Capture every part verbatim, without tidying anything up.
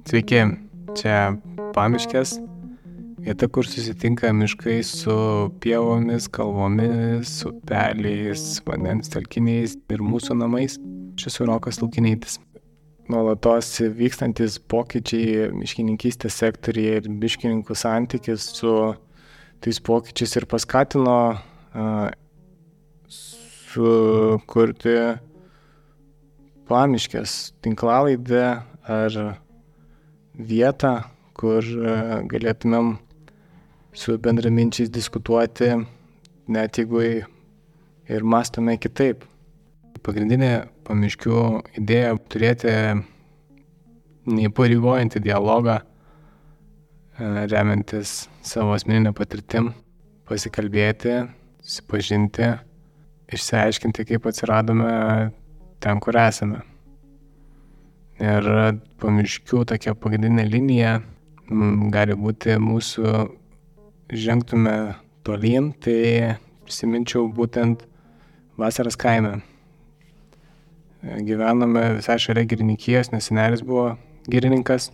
Sveiki, čia Pamiškės, vieta, kur susitinka miškai su pievomis, kalvomis, upeliais, vandens telkiniais ir mūsų namais. Aš esu Rokas Laukinaitis. Nuolatos vykstantis pokyčiai miškininkystės sektoriuje ir miškininkų santykis su tais pokyčiais ir paskatino uh, sukurti Pamiškės tinklalaidę ar vietą, kur galėtumėm su bendraminčiais diskutuoti, net jeigu ir mąstome kitaip. Pagrindinė Pamiškių idėja turėti neįpareigojantį dialogą, remiantis savo asmeninę patirtim, pasikalbėti, susipažinti, išsiaiškinti, kaip atsiradome ten, kur esame. Ir Pamiškių tokia pagrindinė linija m, gali būti mūsų žengtume tolyn, tai prisiminčiau būtent vasaras kaime. Gyvenome visai šalia girininkijos, nes senelis buvo girininkas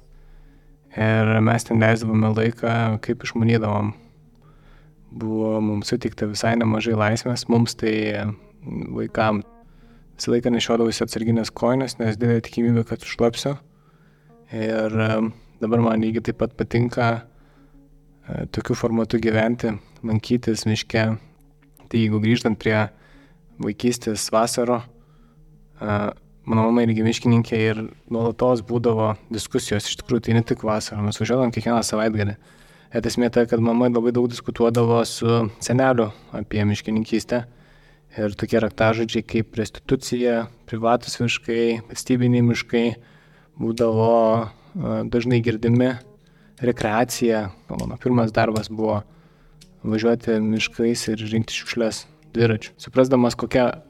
ir mes ten leisdavome laiką, kaip išmanydavom. Buvo mums suteikta visai nemažai laisvės, mums tai vaikams. Visą laiką nešiodavausi atsarginės kojines, nes didelė tikimybė, kad užšlapsiu. Ir dabar man lygiai taip pat patinka tokiu formatu gyventi, lankytis miške. Tai jeigu grįžtant prie vaikystės vasaro, mano mama irgi miškininkė ir nuolatos būdavo diskusijos, iš tikrųjų tai ne tik vasarą, mes važiuodavom kiekvieną savaitgalį. Et esmė ta, kad mama labai daug diskutuodavo su seneliu apie miškininkystę. Ir tokie raktažodžiai kaip restitucija, privatus miškai, valstybiniai miškai būdavo dažnai girdimi. Rekreacija. Mano pirmas darbas buvo važiuoti miškais ir rinkti šiukšles dviračiu. Suprasdamas, kokia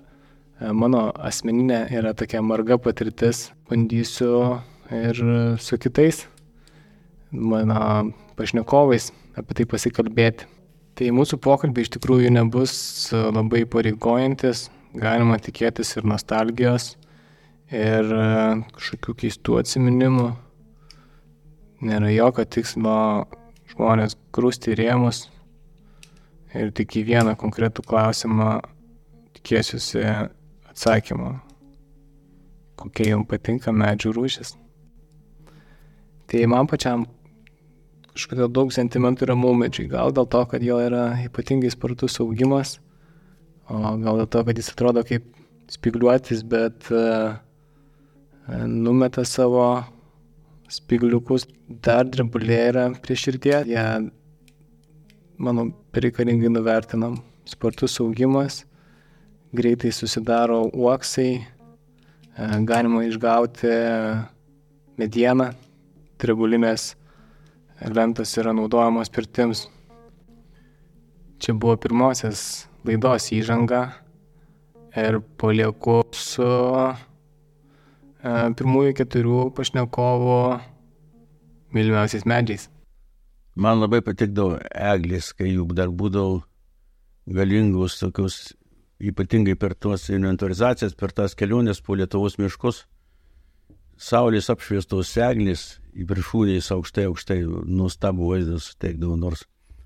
mano asmeninė yra tokia marga patirtis, bandysiu ir su kitais mano pašnekovais apie tai pasikalbėti. Tai mūsų pokalbiai iš tikrųjų nebus labai pareigojantis, galima tikėtis ir nostalgijos, ir kažkokių keistų atsiminimų. Nėra jokio tikslo žmonės grūsti rėmus ir tik į vieną konkretų klausimą tikėsiuosi atsakymą, kokie jums patinka medžių rūšis. Tai man pačiam kažkodėl daug sentimentų yra maumedžiai. Gal dėl to, kad jo yra ypatingai spartus augimas, o gal dėl to, kad jis atrodo kaip spigliuotis, bet uh, numeta savo spigliukus. Dar drebulė yra prie širdies. Jie, manau, bereikalingai nuvertinam. Spartus augimas, greitai susidaro uoksai, uh, galima išgauti medieną, drebulinės lentos yra naudojamos pirtims. Čia buvo pirmosios laidos įžanga ir palieku su e, pirmųjų keturių pašnekovų mylimiausiais medžiais. Man labai patikdavo eglės, kai juk dar būdavo galingus tokius, ypatingai per tuos inventorizacijas, per tas keliones po Lietuvos miškus. Saulės apšviestos eglės į viršūnės aukštai, aukštai, nuostabų vaizdą suteikdavo, nors,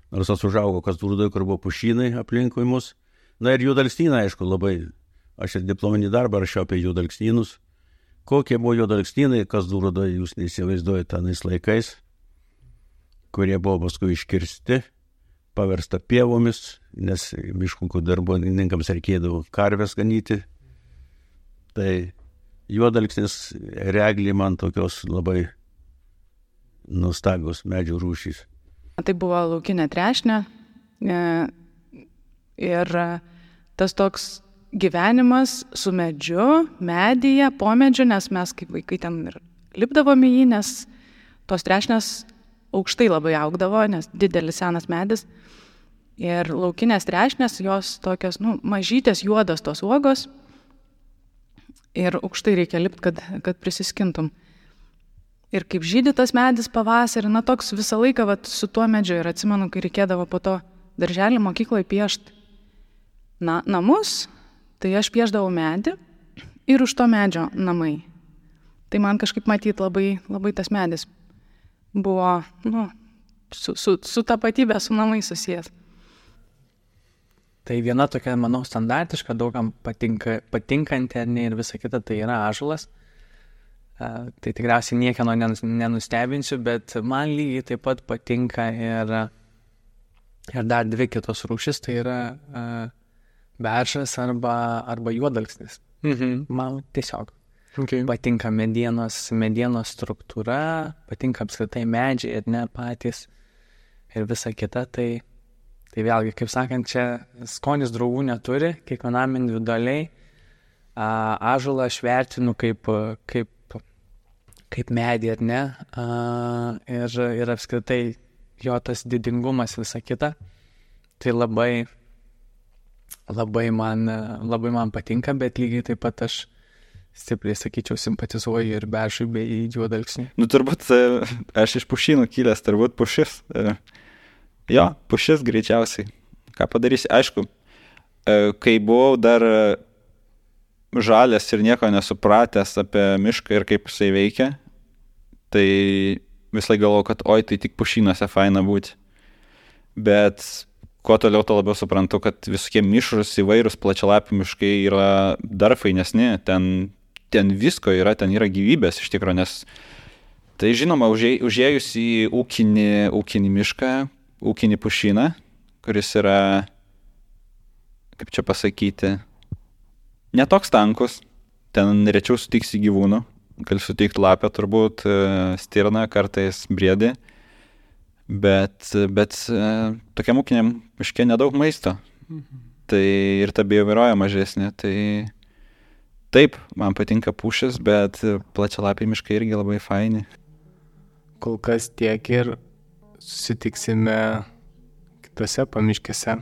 nors aš užaugau Kazlų, kur buvo pušynai aplinkui mus. Na ir juodalksnynai, aišku, labai, aš ir diplominį darbą rašiau apie juodalksnynus. Kokie buvo juodalksnynai Kazlų, jūs neįsivaizduojate tenais laikais, kurie buvo paskui iškirsti, paversta pievomis, nes miškų darbininkams reikėdavo karves ganyti. Tai juodalksnis reglį man tokios labai nuostabios medžių rūšys. Tai buvo laukinė trešnė ir tas toks gyvenimas su medžiu, medyje, po medžiu, nes mes kaip vaikai ten ir lipdavome jį, nes tos trešnės aukštai labai augdavo, nes didelis senas medis. Ir laukinės trešnės, jos tokios, nu, mažytės juodos tos uogos ir aukštai reikia lipti, kad, kad prisiskintum. Ir kaip žydi tas medis pavasarį, na toks visą laiką vat, su tuo medžiu. Ir atsimenu, kai reikėdavo po to darželį mokykloje piešti na, namus, tai aš piešdavau medį ir už to medžio namai. Tai man kažkaip matyti labai, labai tas medis buvo, nu, su, su, su tapatybė, su namai susijęs. Tai viena tokia, manau, standartiška, daugam patinka, patinkanti ar ne ir visa kita, tai yra ąžuolas. Uh, tai tikriausiai niekieno nenustebinsiu, bet man lygiai taip pat patinka ir, ir dar dvi kitos rūšis, tai yra uh, beržas arba, arba juodalksnis. Mhm. Man tiesiog Okay. patinka medienos, medienos struktūra, patinka apskritai medžiai ir ne patys ir visa kita, tai, tai vėlgi, kaip sakant, čia skonis draugų neturi, kiekvienam individualiai. Uh, ąžuolą aš vertinu kaip, kaip, kaip medį ar ne, uh, ir, ir apskritai jo tas didingumas visa kita, tai labai, labai man, labai man patinka, bet lygiai taip pat aš stipriai, sakyčiau, simpatizuoju ir beržui bei juodalksniui. Nu, turbūt aš iš pušynų kilęs, turbūt pušis. Jo, pušis greičiausiai. Ką padarysi? Aišku, kai buvau dar žalės ir nieko nesupratęs apie mišką ir kaip jisai veikia, tai visai galvoju, kad oi, tai tik pušynuose faina būti. Bet kuo toliau, to labiau suprantu, kad visokie mišrus įvairūs plačialapių miškai yra dar fainesni. Ten, ten visko yra, ten yra gyvybės iš tikro, nes tai žinoma, užėjus į ūkinį, ūkinį mišką, ūkinį pušyną, kuris yra, kaip čia pasakyti, netoks tankus, ten rečiau sutiksi gyvūnų, gali sutikti lapę turbūt, stirną, kartais briedį. Bet, bet tokiam ūkiniam miške nedaug maisto. Mhm. Tai ir ta bioįvairovė mažesnė. Tai taip, man patinka pušis, bet plačialapiai miškai irgi labai faini. Kol kas tiek ir susitiksime kitose pamiškėse.